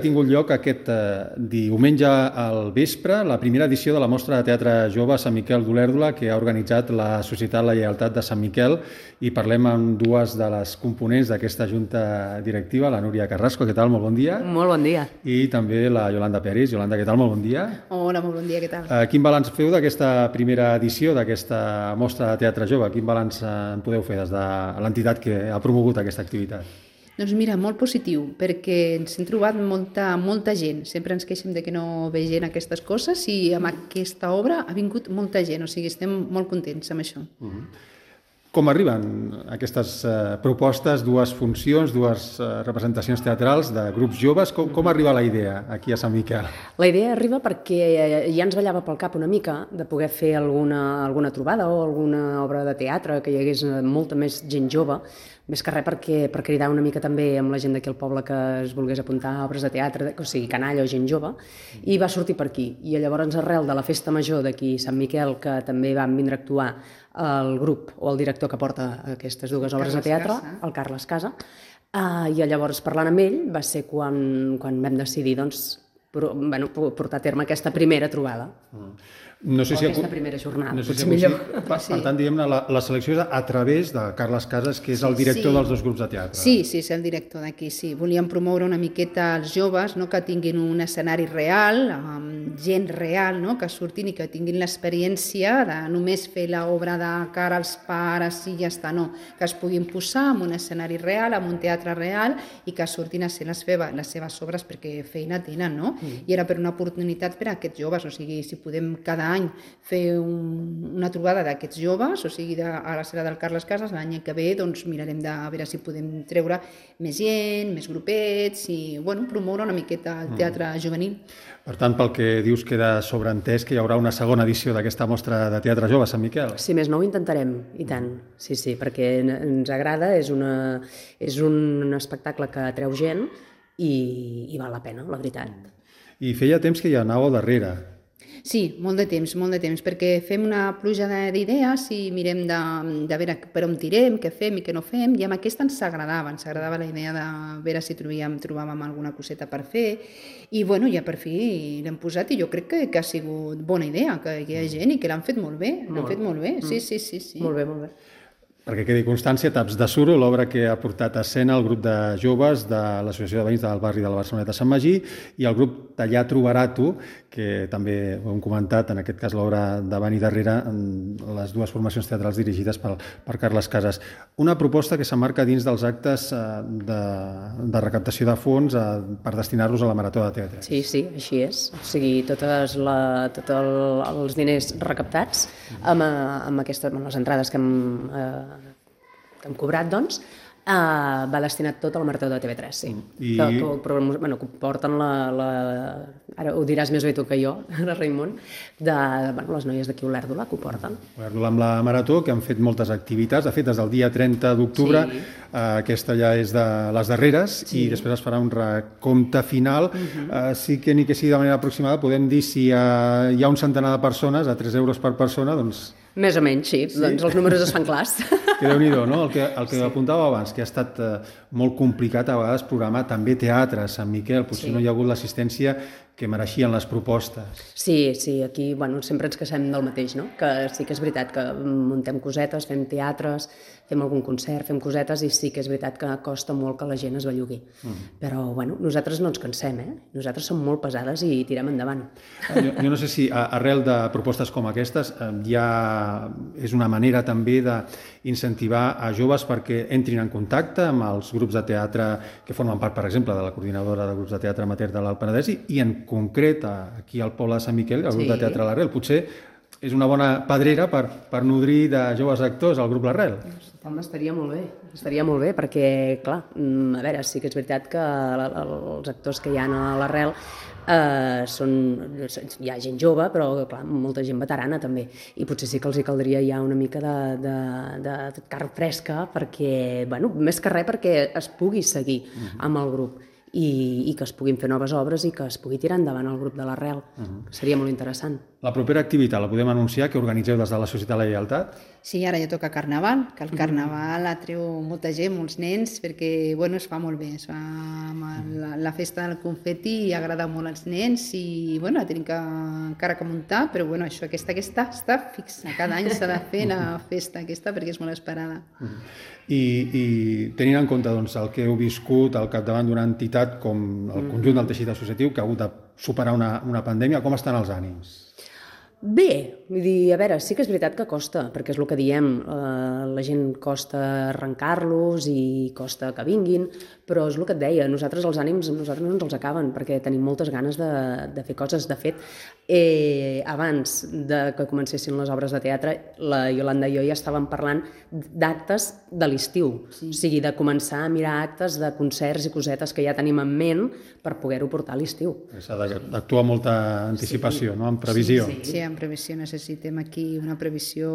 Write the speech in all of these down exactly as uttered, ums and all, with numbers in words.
Ha tingut lloc aquest eh, diumenge al vespre la primera edició de la Mostra de Teatre Jove Sant Miquel d'Olèrdola que ha organitzat la Societat La Lleialtat de Sant Miquel i parlem amb dues de les components d'aquesta junta directiva, la Núria Carrasco, què tal? Molt bon dia. Molt bon dia. I també la Yolanda Peris. Yolanda, què tal? Molt bon dia. Hola, molt bon dia, què tal? Eh, quin balanç feu d'aquesta primera edició d'aquesta Mostra de Teatre Jove? Quin balanç eh, en podeu fer des de l'entitat que ha promogut aquesta activitat? Doncs mira, molt positiu, perquè ens hem trobat molta, molta gent. Sempre ens queixem de que no ve gent aquestes coses i amb aquesta obra ha vingut molta gent, o sigui, estem molt contents amb això. Uh-huh. Com arriben aquestes eh, propostes, dues funcions, dues eh, representacions teatrals de grups joves? Com, com arriba la idea aquí a Sant Miquel? La idea arriba perquè ja ens ballava pel cap una mica de poder fer alguna, alguna trobada o alguna obra de teatre, que hi hagués molta més gent jove, més que res perquè, per cridar una mica també amb la gent d'aquí al poble que es volgués apuntar a obres de teatre, o sigui, canalla o gent jove, i va sortir per aquí. I llavors, arrel de la festa major d'aquí Sant Miquel, que també van vindre a actuar el grup o el director que porta aquestes dues obres de teatre, el Carles Casa, uh, i llavors parlant amb ell va ser quan, quan vam decidir doncs, por, bueno, portar a terme aquesta primera trobada. Mm. No sé o si aquesta ha... primera jornada, no sé potser si millor. Per, per tant, diguem-ne, la, la selecció és a través de Carles Casas, que és el director sí. dels dos grups de teatre. Sí, sí, és el director d'aquí, sí. Volíem promoure una miqueta als joves, no? Que tinguin un escenari real, amb gent real, no? Que surtin i que tinguin l'experiència de només fer l'obra de cara als pares i ja està, no. Que es puguin posar en un escenari real, en un teatre real i que surtin a ser les, feva, les seves obres perquè feina tenen, no? Mm. I era per una oportunitat per a aquests joves, o sigui, si podem cada any fer un, una trobada d'aquests joves, o sigui, de, ara serà del Carles Casas, l'any que ve doncs mirarem de veure si podem treure més gent, més grupets i bueno, promoure una miqueta el teatre mm. juvenil. Per tant, pel que dius, queda sobreentès que hi haurà una segona edició d'aquesta mostra de teatre jove a Sant Miquel. Si més no, ho intentarem, i tant. Sí, sí, perquè ens agrada, és, una, és un espectacle que atreu gent i, i val la pena, la veritat. I feia temps que hi anàveu darrere. Sí, molt de temps, molt de temps, perquè fem una pluja d'idees i mirem de, de veure per on tirem, què fem i què no fem, i amb aquesta ens agradava, ens agradava la idea de veure si trobàvem, trobàvem alguna coseta per fer, i bueno, ja per fi l'hem posat i jo crec que, que ha sigut bona idea, que hi ha gent i que l'han fet molt bé, l'han fet molt bé, sí, sí, sí, sí. Molt bé, molt bé. Perquè quedi constància, Taps de Suro, l'obra que ha portat a escena el grup de joves de l'Associació de Veïns del barri de la Barceloneta Sant Magí i el grup D'Allà Trobarà Tu, que també ho hem comentat, en aquest cas l'obra davant i darrere, les dues formacions teatrals dirigides per, per Carles Casas. Una proposta que s'emmarca dins dels actes de, de recaptació de fons per destinar-los a la Marató de Teatre. Sí, sí, així és. O sigui, tots tot el, els diners recaptats amb, amb, aquestes, amb les entrades que hem... Eh, que hem cobrat, doncs, eh, va destinat tot a la Marató de T V tres, sí. I... Que, que, però, bueno, que porten la, la... Ara ho diràs més bé tu que jo, ara Raimon, de bueno, les noies d'aquí Olèrdola, que ho porten. Olèrdola amb la Marató, que han fet moltes activitats. De fet, des del dia trenta d'octubre, sí. eh, aquesta ja és de les darreres, sí. I després es farà un recompte final. Uh-huh. eh, sí que ni que sigui de manera aproximada, podem dir si hi ha, hi ha un centenar de persones, a tres euros per persona, doncs... Més o menys, sí. sí. Doncs els números es fan clars. Que Déu-n'hi-do, no? El que, el que sí. apuntava abans, que ha estat eh, molt complicat a vegades programar també teatre a Sant Miquel, potser sí. no hi ha hagut l'assistència que mereixien les propostes. Sí, sí, aquí bueno, sempre ens queixem del mateix, no? Que sí que és veritat que muntem cosetes, fem teatres, fem algun concert, fem cosetes i sí que és veritat que costa molt que la gent es bellugui. Mm. Però bueno, nosaltres no ens cansem, eh? Nosaltres som molt pesades i tirem endavant. Jo, jo no sé si arrel de propostes com aquestes ja és una manera també d'incentivar a joves perquè entrin en contacte amb els grups de teatre que formen part, per exemple, de la coordinadora de grups de teatre amateur de l'Alt Penedès i en concret aquí al poble de Sant Miquel, el grup sí. de teatre L'Arrel. Potser és una bona pedrera per, per nodrir de joves actors el grup L'Arrel. Home, estaria molt bé, estaria molt bé perquè, clar, a veure, sí que és veritat que els actors que hi ha a L'Arrel eh, són, hi ha gent jove, però clar, molta gent veterana també, i potser sí que els hi caldria ja una mica de, de, de carn fresca perquè, bueno, més que res perquè es pugui seguir amb el grup. i, i que es puguin fer noves obres i que es pugui tirar endavant el grup de l'Arrel. Uh-huh. Seria molt interessant. La propera activitat la podem anunciar, que organitzeu des de la Societat La Lleialtat? Sí, ara ja toca Carnaval, que el Carnaval atreu molta gent, molts nens, perquè bueno, es fa molt bé. Es fa la, la festa del confeti agrada molt als nens i bueno, la tenim que, encara que muntar, però bueno, això, aquesta, aquesta està fixa. Cada any s'ha de fer la festa aquesta perquè és molt esperada. I, i tenint en compte doncs, el que heu viscut al capdavant d'una entitat com el conjunt del teixit associatiu, que ha hagut de superar una, una pandèmia, com estan els ànims? Bé, vull dir, a veure, sí que és veritat que costa, perquè és el que diem, eh, la gent costa arrencar-los i costa que vinguin, però és el que et deia, nosaltres els ànims nosaltres no ens els acaben, perquè tenim moltes ganes de, de fer coses. De fet, eh, abans de que comencessin les obres de teatre, la Iolanda i jo ja estàvem parlant d'actes de l'estiu, sí. O sigui, de començar a mirar actes de concerts i cosetes que ja tenim en ment per poder-ho portar a l'estiu. S'ha d'actuar amb molta anticipació, sí. No? Amb previsió. Sí, sí. sí. En previsió necessitem aquí una previsió,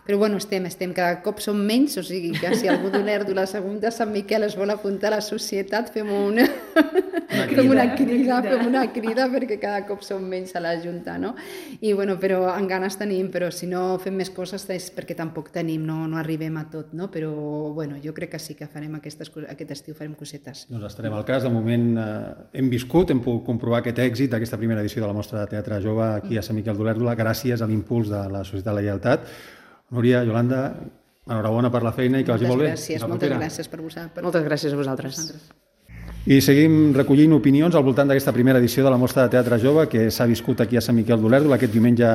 però bueno, estem, estem cada cop som menys, o sigui que si algú d'Olèrdola, la segunda Sant Miquel es vol apuntar a la societat, fem una, una, crida, fem una crida, fem una crida perquè cada cop som menys a la Junta, no? I bueno, però en ganes tenim, però si no fem més coses és perquè tampoc tenim, no, no arribem a tot, no? Però bueno, jo crec que sí que farem aquestes, aquest estiu farem cosetes. Doncs estarem al cas, de moment eh, hem viscut, hem pogut comprovar aquest èxit d'aquesta primera edició de la Mostra de Teatre Jove aquí a Sant Miquel d'Olèrdola, gràcies a l'impuls de la Societat La Lleialtat. Núria, Iolanda, enhorabona per la feina i que vagi molt bé. Gràcies, moltes gràcies per vosaltres. Moltes gràcies a vosaltres. I seguim recollint opinions al voltant d'aquesta primera edició de la Mostra de Teatre Jove que s'ha viscut aquí a Sant Miquel d'Olèrdola aquest diumenge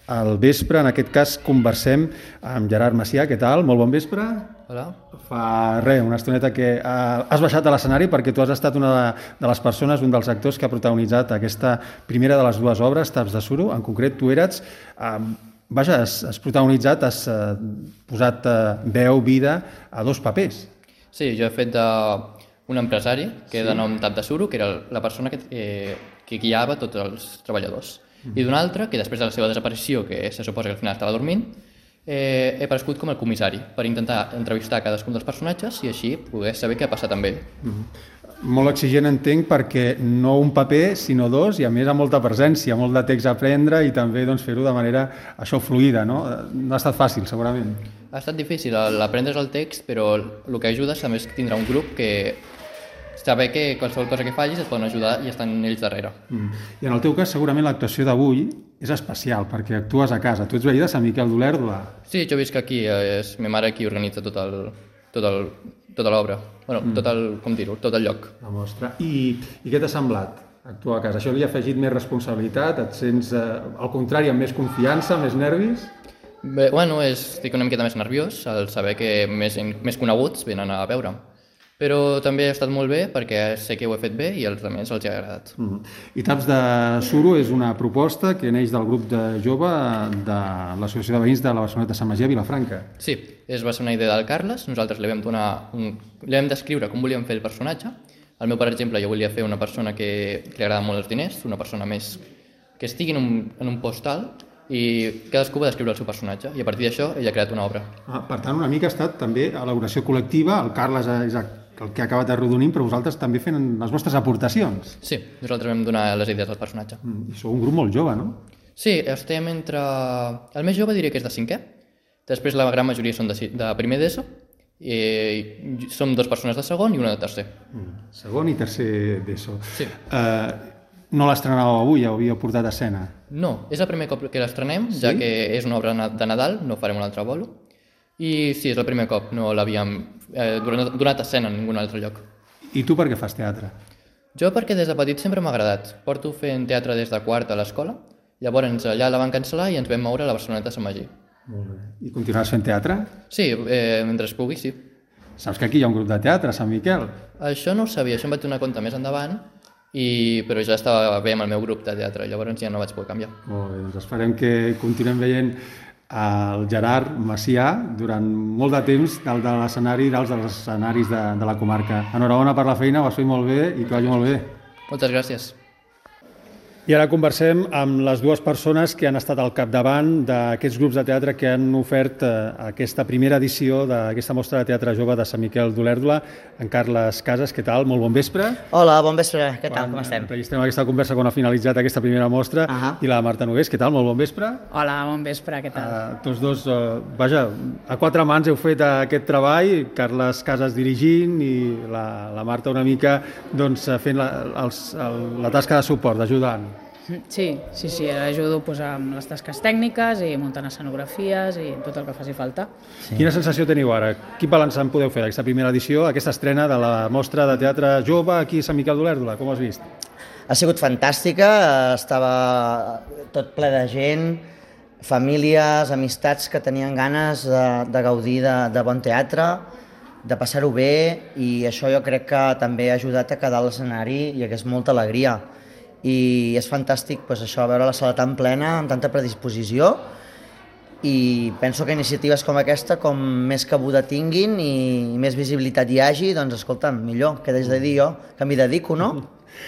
al vespre. En aquest cas conversem amb Gerard Macià. Què tal? Molt bon vespre. Hola. Fa res, una estoneta que has baixat a l'escenari perquè tu has estat una de les persones, un dels actors que ha protagonitzat aquesta primera de les dues obres, Taps de suro. En concret, tu eres... Eh, vaja, has, has protagonitzat, has eh, posat eh, veu, vida a dos papers. Sí, jo he fet d'un empresari que sí. De nom Tap de suro, que era la persona que, eh, que guiava tots els treballadors. Mm. I d'un altre, que després de la seva desaparició, que se suposa que al final estava dormint, eh, he aparegut com el comissari, per intentar entrevistar cadascun dels personatges i així poder saber què ha passat amb ell. Mm. Molt exigent, entenc, perquè no un paper, sinó dos, i a més amb molta presència, molt de text a aprendre i també doncs, fer-ho de manera això fluida, no? No ha estat fàcil, segurament. Ha estat difícil l'aprendre's el text, però el que ajuda és a més tindrà un grup que saber que qualsevol cosa que fallis et poden ajudar i estan ells darrere. Mm. I en el teu cas, segurament l'actuació d'avui és especial, perquè actues a casa. Tu ets veí de Sant Miquel d'Olèrdola. Sí, jo visc aquí, és ma mare qui organitza tot el, tot el, tota l'obra, bueno, mm. tot el, com dir-ho, tot el lloc. La mostra. I, i què t'ha semblat actuar a casa? Això li ha afegit més responsabilitat? Et sents, eh, al contrari, amb més confiança, més nervis? Bé, bueno, és, estic una miqueta més nerviós al saber que més, més coneguts venen a veure'm. Però també ha estat molt bé perquè sé que ho he fet bé i als altres els ha agradat. Mm. I Taps de suro és una proposta que neix del grup de jove de l'Associació de Veïns de la Barceloneta de Sant Magí a Vilafranca. Sí, és, va ser una idea del Carles. Nosaltres li vam, donar un, li vam descriure com volíem fer el personatge. El meu, per exemple, jo volia fer una persona que, que li agrada molt els diners, una persona més que estigui en un, en un post alt i cadascú va descriure el seu personatge i a partir d'això ell ha creat una obra. Ah, per tant, una mica ha estat també elaboració col·lectiva. El Carles és el que ha acabat arrodonint, però vosaltres també fent les vostres aportacions. Sí, nosaltres vam donar les idees al personatge. Mm, I sou un grup molt jove, no? Sí, estem entre... El més jove diria que és de cinquè, després la gran majoria són de, de primer d'ESO, i som dues persones de segon i una de tercer. Mm, segon i tercer d'ESO. Sí. Uh, no l'estrenàveu avui, ja ho havíeu portat a escena? No, és el primer cop que l'estrenem, sí? Ja que és una obra de Nadal, no farem un altre bolo. I sí, és el primer cop, no l'havíem eh, donat a escena en ningun altre lloc. I tu per què fas teatre? Jo perquè des de petit sempre m'ha agradat. Porto fent teatre des de quart a l'escola, llavors allà la van cancel·lar i ens vam moure a la Barceloneta de Sant Magí. Molt bé. I continuaràs fent teatre? Sí, eh, mentre es pugui, sí. Saps que aquí hi ha un grup de teatre a Sant Miquel? Això no ho sabia, això em vaig donar compte més endavant, i... però ja estava bé amb el meu grup de teatre, llavors ja no vaig poder canviar. Molt bé, doncs esperem que continuem veient el Gerard Macià durant molt de temps dalt de l'escenari, dalt dels escenaris de, de la comarca. Enhorabona per la feina, ho has fet molt bé i que vagi molt bé. Moltes gràcies. I ara conversem amb les dues persones que han estat al capdavant d'aquests grups de teatre que han ofert eh, aquesta primera edició d'aquesta mostra de teatre jove de Sant Miquel d'Olèrdola. En Carles Casas, què tal? Molt bon vespre. Hola, bon vespre. Què tal? Com estem? Registrem aquesta conversa quan ha finalitzat aquesta primera mostra. Uh -huh. I la Marta Nogués, què tal? Molt bon vespre. Hola, bon vespre, què tal? Uh, tots dos, uh, vaja, a quatre mans heu fet aquest treball, Carles Casas dirigint i la, la Marta una mica doncs, fent la, els, el, la tasca de suport, d'ajudant. Sí, sí, sí, ajudo pues, amb les tasques tècniques i muntant escenografies i tot el que faci falta. Sí. Quina sensació teniu ara? Quin balanç en podeu fer d'aquesta primera edició, aquesta estrena de la mostra de teatre jove aquí a Sant Miquel d'Olèrdola? Com ho has vist? Ha sigut fantàstica, estava tot ple de gent, famílies, amistats que tenien ganes de, de gaudir de, de bon teatre, de passar-ho bé, i això jo crec que també ha ajudat a quedar a l'escenari i hagués molta alegria. I és fantàstic pues, això, veure la sala tan plena, amb tanta predisposició, i penso que iniciatives com aquesta, com més cabuda tinguin i més visibilitat hi hagi, doncs escolta'm, millor, què des de dir jo, que m'hi dedico, no?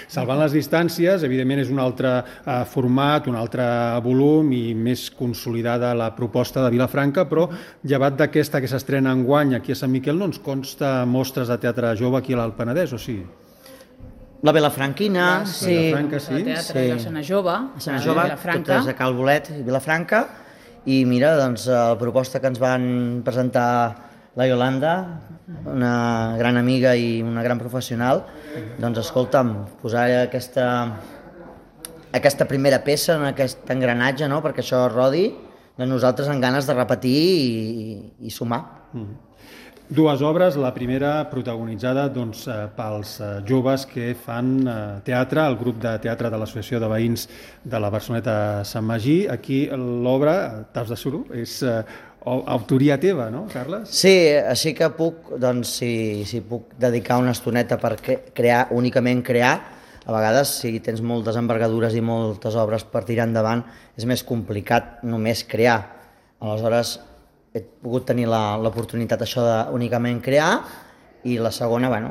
Salvant les distàncies, evidentment és un altre eh, format, un altre volum i més consolidada la proposta de Vilafranca, però llevat d'aquesta que s'estrena enguany aquí a Sant Miquel, no ens consta mostres de teatre jove aquí a l'Alt Penedès, o sí? La Vilafranquina, sí, sí. Vilafranca, sí. El teatre sí. L'escena jove, l'escena jove, totes a Cal Bolet i Vilafranca, i mira, doncs, la proposta que ens van presentar la Yolanda, una gran amiga i una gran professional, doncs escolta'm, posar aquesta, aquesta primera peça en aquest engranatge, no?, perquè això rodi, doncs nosaltres amb ganes de repetir i, i sumar. Mm. Dues obres, la primera protagonitzada doncs, pels joves que fan teatre, el grup de teatre de l'Associació de Veïns de la Barceloneta Sant Magí. Aquí l'obra, Taps de suro, és autoria teva, no, Carles? Sí, així que puc, doncs, si, si puc dedicar una estoneta per crear, únicament crear, a vegades, si tens moltes envergadures i moltes obres per tirar endavant, és més complicat només crear. Aleshores, he pogut tenir l'oportunitat això de únicament crear, i la segona, bueno,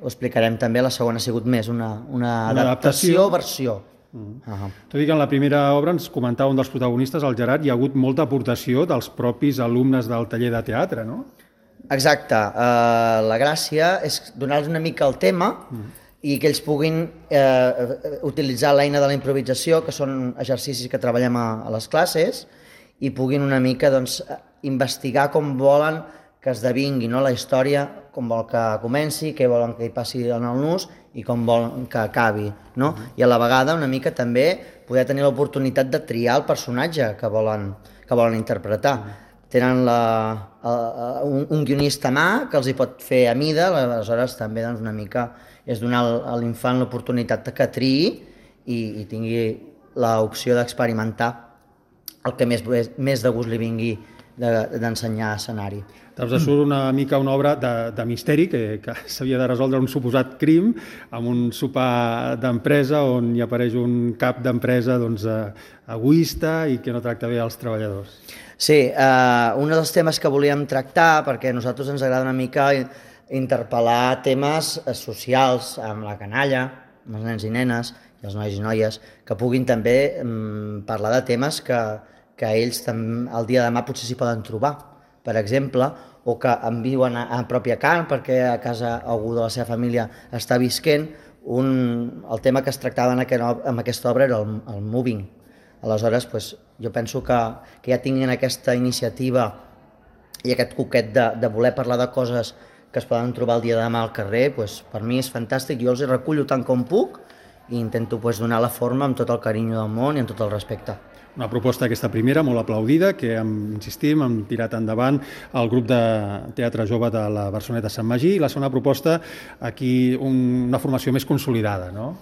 ho explicarem també, la segona ha sigut més una, una, una adaptació, versió. Mm. Uh-huh. Tot i que en la primera obra ens comentava un dels protagonistes, el Gerard, hi ha hagut molta aportació dels propis alumnes del taller de teatre, no? Exacte. Uh, la gràcia és donar-los una mica el tema mm. i que ells puguin eh, utilitzar l'eina de la improvisació, que són exercicis que treballem a, a les classes, i puguin una mica doncs, investigar com volen que esdevingui, no?, la història, com vol que comenci, què volen que hi passi en el nus i com volen que acabi, no? Uh-huh. I a la vegada una mica també poder tenir l'oportunitat de triar el personatge que volen, que volen interpretar. Uh-huh. Tenen la, a, un, un guionista a mà que els hi pot fer a mida, aleshores també doncs, una mica és donar a l'infant l'oportunitat que triï i, i tingui l'opció d'experimentar el que més, més de gust li vingui d'ensenyar de, escenari. Taps de suro una mica una obra de, de misteri que, que s'havia de resoldre un suposat crim amb un sopar d'empresa on hi apareix un cap d'empresa doncs, egoista i que no tracta bé els treballadors. Sí, eh, un dels temes que volíem tractar, perquè a nosaltres ens agrada una mica interpel·lar temes socials amb la canalla, amb els nens i nenes i els nois i noies, que puguin també mm, parlar de temes que, que ells també, el dia de demà potser s'hi poden trobar, per exemple, o que en viuen a, a pròpia carn perquè a casa algú de la seva família està visquent. Un, el tema que es tractava en, aquest, en aquesta obra era el, el moving. Aleshores, pues, jo penso que, que ja tinguin aquesta iniciativa i aquest coquet de, de voler parlar de coses que es poden trobar el dia de demà al carrer, pues, per mi és fantàstic. Jo els hi recullo tant com puc i intento pues, donar la forma amb tot el carinyo del món i amb tot el respecte. Una proposta aquesta primera, molt aplaudida, que hem, insistim, hem tirat endavant el grup de teatre jove de la Barceloneta Sant Magí, i la segona proposta, aquí un, una formació més consolidada, no?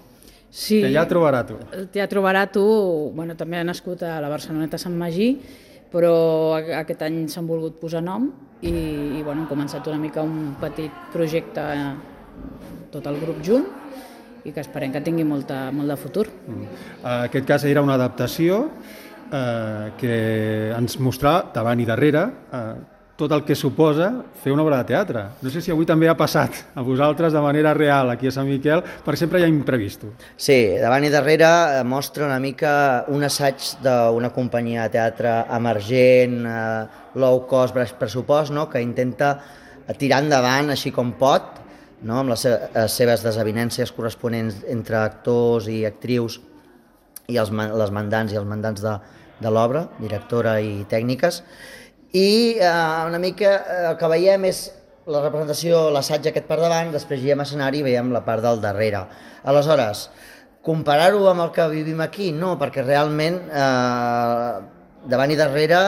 Sí. Teatre Barato. El Teatre Barato, bueno, també ha nascut a la Barceloneta Sant Magí, però aquest any s'han volgut posar nom i, i bueno, hem començat una mica un petit projecte tot el grup junt, i que esperem que tingui molta, molt de futur. En aquest cas era una adaptació eh, que ens mostrava davant i darrere eh, tot el que suposa fer una obra de teatre. No sé si avui també ha passat a vosaltres de manera real aquí a Sant Miquel, perquè sempre hi ha imprevisto. Sí, davant i darrere mostra una mica un assaig d'una companyia de teatre emergent, eh, low cost, baix pressupost, no? Que intenta tirar endavant així com pot, no? Amb les seves desavinències corresponents entre actors i actrius i els, les mandants i els mandants de, de l'obra, directora i tècniques. I eh, una mica eh, el que veiem és la representació, l'assaig aquest per davant, després hi ha escenari i veiem la part del darrere. Aleshores, comparar-ho amb el que vivim aquí? No, perquè realment eh, davant i darrere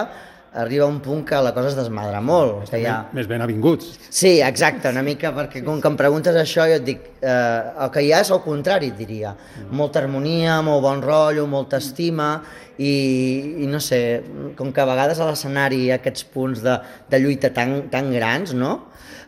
arriba un punt que la cosa es desmadra molt. Que ha... Més ben avinguts. Sí, exacte, una mica, perquè com que em preguntes això jo et dic, eh, el que hi ha és el contrari, et diria. Molta harmonia, molt bon rotllo, molta estima, i, i no sé, com que a vegades a l'escenari hi ha aquests punts de, de lluita tan, tan grans, no?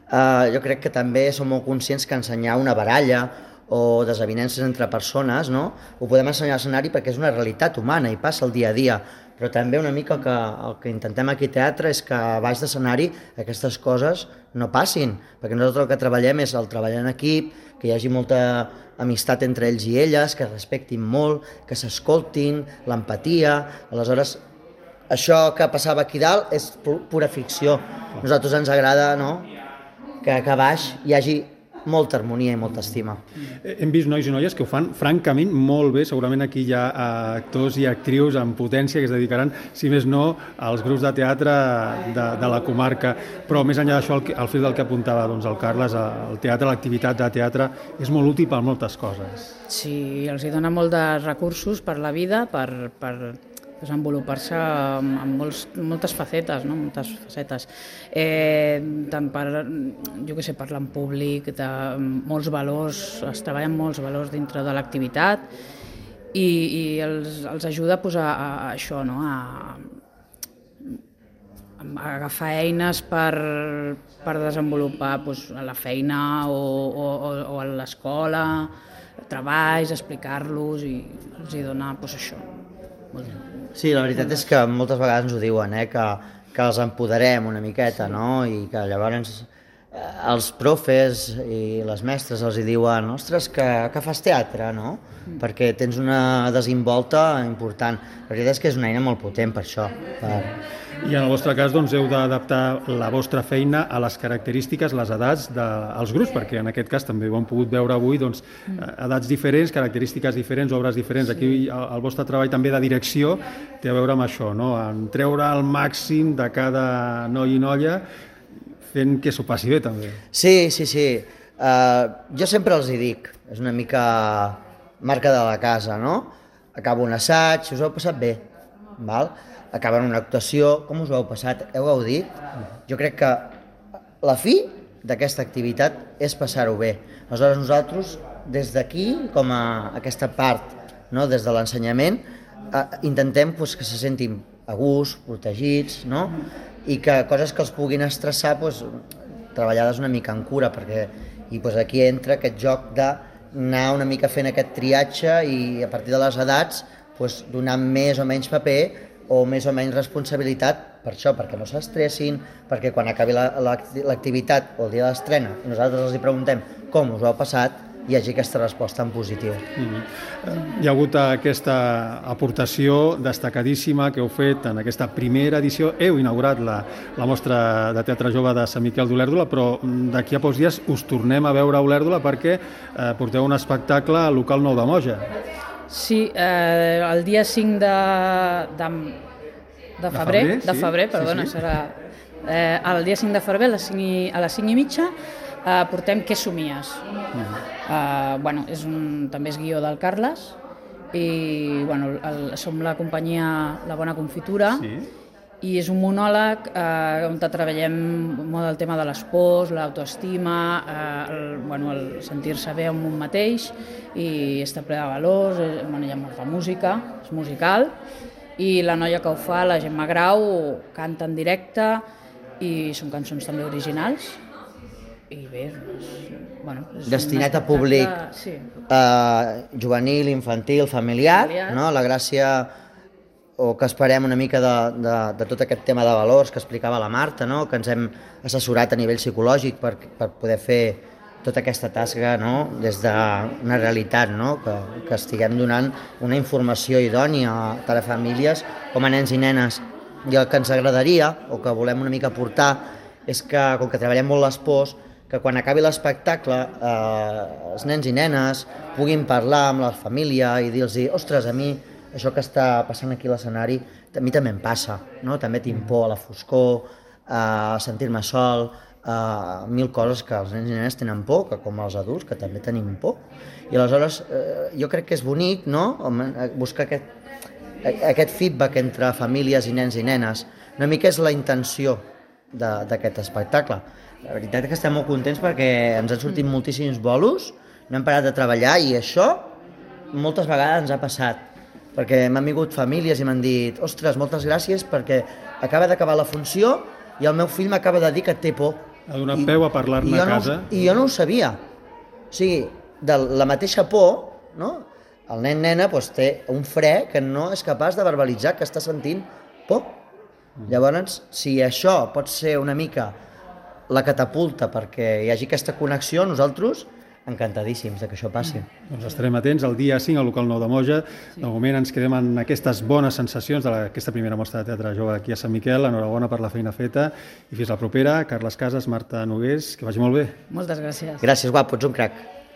Eh, jo crec que també som molt conscients que ensenyar una baralla o desavinences entre persones, no? Ho podem ensenyar a l'escenari perquè és una realitat humana i passa el dia a dia, però també una mica el que, el que intentem aquí a teatre és que a baix d'escenari aquestes coses no passin, perquè nosaltres el que treballem és el treballar en equip, que hi hagi molta amistat entre ells i elles, que es respectin molt, que s'escoltin, l'empatia. Aleshores, això que passava aquí dalt és pura ficció. A nosaltres ens agrada, no?, que, que a baix hi hagi molta harmonia i molta estima. Hem vist nois i noies que ho fan francament molt bé. Segurament aquí hi ha actors i actrius amb potència que es dedicaran, si més no, als grups de teatre de, de la comarca. Però més enllà d'això, al fil del que apuntava doncs, el Carles, el teatre, l'activitat de teatre és molt útil per moltes coses. Sí, els hi dona molt de recursos per la vida, per, per desenvolupar-se en molts, moltes facetes, no? moltes facetes. Eh, tant per, jo què sé, parlar en públic, de molts valors, es treballen molts valors dintre de l'activitat i, i els, els ajuda pues, a, a això, no? a, a agafar eines per, per desenvolupar pues, a la feina o, o, o a l'escola, treballs, explicar-los i els hi dona pues, això. Sí, la veritat és que moltes vegades ens ho diuen, eh? que, que els empoderem una miqueta, no? I que llavors eh, els profes i les mestres els hi diuen ostres, que, que fas teatre, no? Mm. Perquè tens una desimbolta important. La veritat és que és una eina molt potent per això. Per... I en el vostre cas doncs, heu d'adaptar la vostra feina a les característiques, les edats dels grups, perquè en aquest cas també ho hem pogut veure avui, doncs, edats diferents, característiques diferents, obres diferents. Aquí el, el vostre treball també de direcció té a veure amb això, no? En treure el màxim de cada noi i noia fent que s'ho passi bé també. Sí, sí, sí. Uh, jo sempre els hi dic, és una mica marca de la casa, no? Acabo un assaig, us heu passat bé, val? Acaben una actuació, com us ho heu passat? Heu gaudit? Jo crec que la fi d'aquesta activitat és passar-ho bé. Aleshores nosaltres, des d'aquí, com a aquesta part, no? Des de l'ensenyament, eh, intentem pues, que se sentin a gust, protegits, no? I que coses que els puguin estressar, pues, treballades una mica en cura, perquè i, pues, aquí entra aquest joc d'anar una mica fent aquest triatge i a partir de les edats pues, donar més o menys paper o més o menys responsabilitat per això, perquè no s'estressin, perquè quan acabi l'activitat o el dia de l'estrena i nosaltres els hi preguntem com us ho heu passat, hi hagi aquesta resposta en positiu. Mm-hmm. Hi ha hagut aquesta aportació destacadíssima que heu fet en aquesta primera edició. Heu inaugurat la, la mostra de teatre jove de Sant Miquel d'Olèrdola, però d'aquí a pocs dies us tornem a veure a Olèrdola perquè eh, porteu un espectacle al local Nou de Moja. Sí, eh, el dia cinc de, de, de febrer, de febrer, sí, de febrer perdona, sí, sí. serà eh, el dia cinc de febrer a les cinc i, a les cinc i mitja eh, portem Què somies? Uh-huh. Eh, bueno, és un, també és guió del Carles i bueno, el, som la companyia La Bona Confitura. Sí. I és un monòleg eh, on treballem molt el tema de les pors, l'autoestima, eh, el, bueno, el sentir-se bé amb un mateix i estar ple de valors. Eh, bueno, hi ha molta música, és musical, i la noia que ho fa, la Gemma Grau, canta en directe i són cançons també originals. I bé, és, bueno, és destinat a públic sí. eh, juvenil, infantil, familiar, familiar. No? La gràcia o que esperem una mica de, de, de tot aquest tema de valors que explicava la Marta, no? Que ens hem assessorat a nivell psicològic per, per poder fer tota aquesta tasca, no? Des d'una realitat, no? Que, que estiguem donant una informació idònia tant a famílies com a nens i nenes. I el que ens agradaria, o que volem una mica portar, és que, com que treballem molt les pors, que quan acabi l'espectacle eh, els nens i nenes puguin parlar amb la família i dir-los, ostres, a mi això que està passant aquí a l'escenari, a mi també em passa, no? També tinc por a la foscor, a sentir-me sol, a mil coses que els nens i nenes tenen por, que com els adults, que també tenim por. I aleshores eh, jo crec que és bonic, no? Buscar aquest, aquest feedback entre famílies i nens i nenes. Una mica és la intenció d'aquest espectacle. La veritat és que estem molt contents perquè ens han sortit moltíssims bolos, no hem parat de treballar i això moltes vegades ens ha passat. Perquè m'han vingut famílies i m'han dit ostres, moltes gràcies perquè acaba d'acabar la funció i el meu fill m'acaba de dir que té por. Ha donat peu a parlar-ne a casa. No, I jo no ho sabia. O sigui, de la mateixa por, no? El nen-nena doncs, té un fre que no és capaç de verbalitzar que està sentint por. Mm. Llavors, si això pot ser una mica la catapulta perquè hi hagi aquesta connexió, nosaltres encantadíssims de que això passi. Doncs estarem atents el dia cinc al local nou de Moja. Sí. De moment ens quedem en aquestes bones sensacions d'aquesta primera mostra de teatre jove aquí a Sant Miquel. Enhorabona per la feina feta i fins la propera. Carles Casas, Marta Nogués, que vagi molt bé. Moltes gràcies. Gràcies, guapo, ets un crac.